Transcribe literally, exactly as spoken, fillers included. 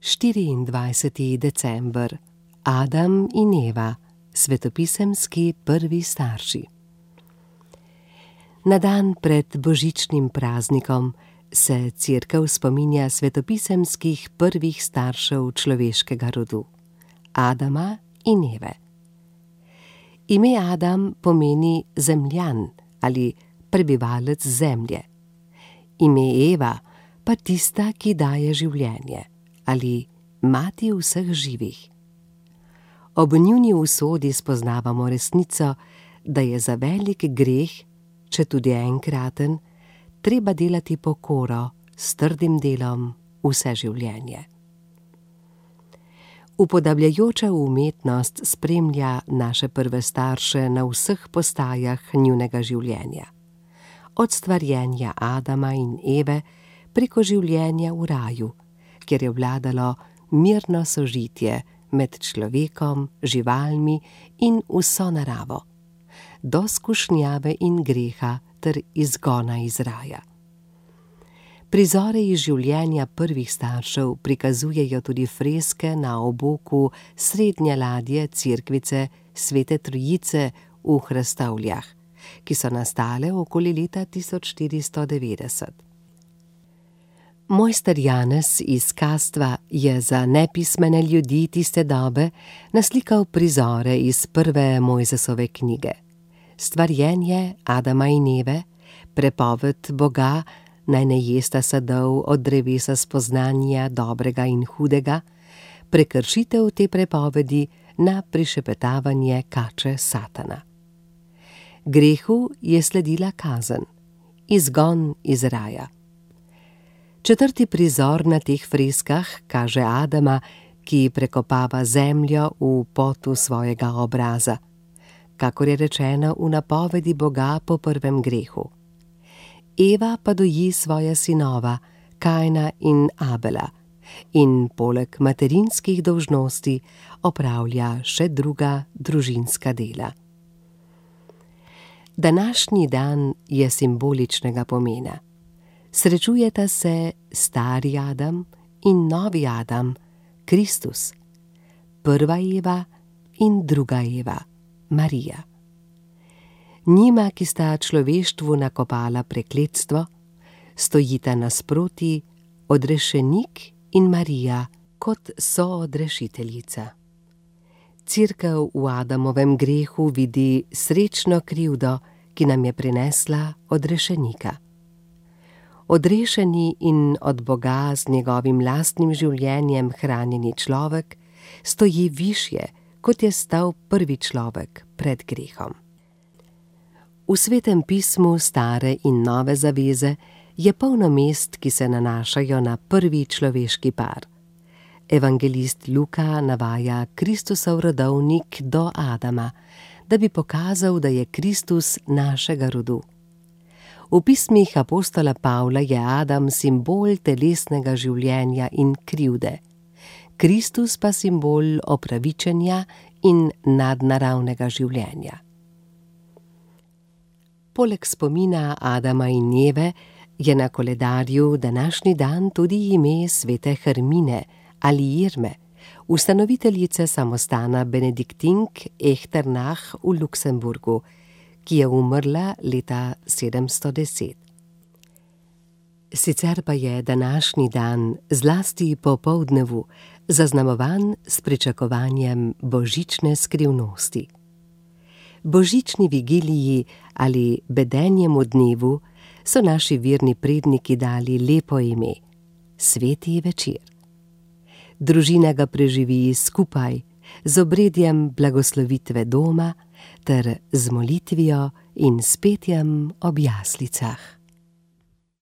štiriindvajseti december. Adam in Eva, svetopisemski prvi starši. Na dan pred božičnim praznikom se Cerkev spominja svetopisemskih prvih staršev človeškega rodu, Adama in Eve. Ime Adam pomeni zemljan ali prebivalec zemlje. Ime Eva pa tista, ki daje življenje ali mati vseh živih. Ob njuni usodi spoznavamo resnico, da je za velik greh, če tudi enkraten, treba delati pokoro s trdim delom vse življenje. Upodabljajoča umetnost spremlja naše prve starše na vseh postajah njunega življenja. Od stvarjenja Adama in Eve preko življenja v raju, kjer je vladalo mirno sožitje med človekom, živalmi in vso naravo, do skušnjave in greha ter izgona iz raja. Prizore iz življenja prvih staršev prikazujejo tudi freske na oboku srednje ladje cerkvice Svete Trojice v Hrastovljah, ki so nastale okoli leta tisoč štiristo devetdeset. Mojster Janez iz Kastva je za nepismene ljudi tiste dobe naslikal prizore iz prve Mojzesove knjige. Stvarjenje Adama in Eve, prepoved Boga, naj ne jesta sadov od drevesa spoznanja dobrega in hudega, prekršitev te prepovedi na prišepetavanje kače Satana. Grehu je sledila kazen, izgon iz raja. Četrti prizor na teh freskah kaže Adama, ki prekopava zemljo v potu svojega obraza, kakor je rečeno v napovedi Boga po prvem grehu. Eva pa doji svoja sinova, Kajna in Abela, in poleg materinskih dolžnosti opravlja še druga družinska dela. Današnji dan je simboličnega pomena. Srečujeta se stari Adam in novi Adam, Kristus, prva Eva in druga Eva, Marija. Njima, ki sta človeštvu nakopala prekletstvo, stojita nasproti odrešenik in Marija kot soodrešiteljica. Cerkev v Adamovem grehu vidi srečno krivdo, ki nam je prinesla odrešenika. Odrešeni in od Boga z njegovim lastnim življenjem hranjeni človek stoji višje, kot je stal prvi človek pred grehom. V Svetem pismu stare in nove zaveze je polno mest, ki se nanašajo na prvi človeški par. Evangelist Luka navaja Kristusov rodovnik do Adama, da bi pokazal, da je Kristus našega rodu. V pismih apostola Pavla je Adam simbol telesnega življenja in krivde, Kristus pa simbol opravičenja in nadnaravnega življenja. Poleg spomina Adama in Eve je na koledarju današnji dan tudi ime svete Hermine ali Irme, ustanoviteljice samostana benediktink Echternach v Luksemburgu, ki je umrla leta sedemsto deset. Sicer pa je današnji dan, zlasti popoldnevu, zaznamovan s pričakovanjem božične skrivnosti. Božični vigiliji ali bedenjemu dnevu so naši verni predniki dali lepo ime, sveti večer. Družina ga preživi skupaj z obredjem blagoslovitve doma ter z molitvijo in s petjem ob jaslicah.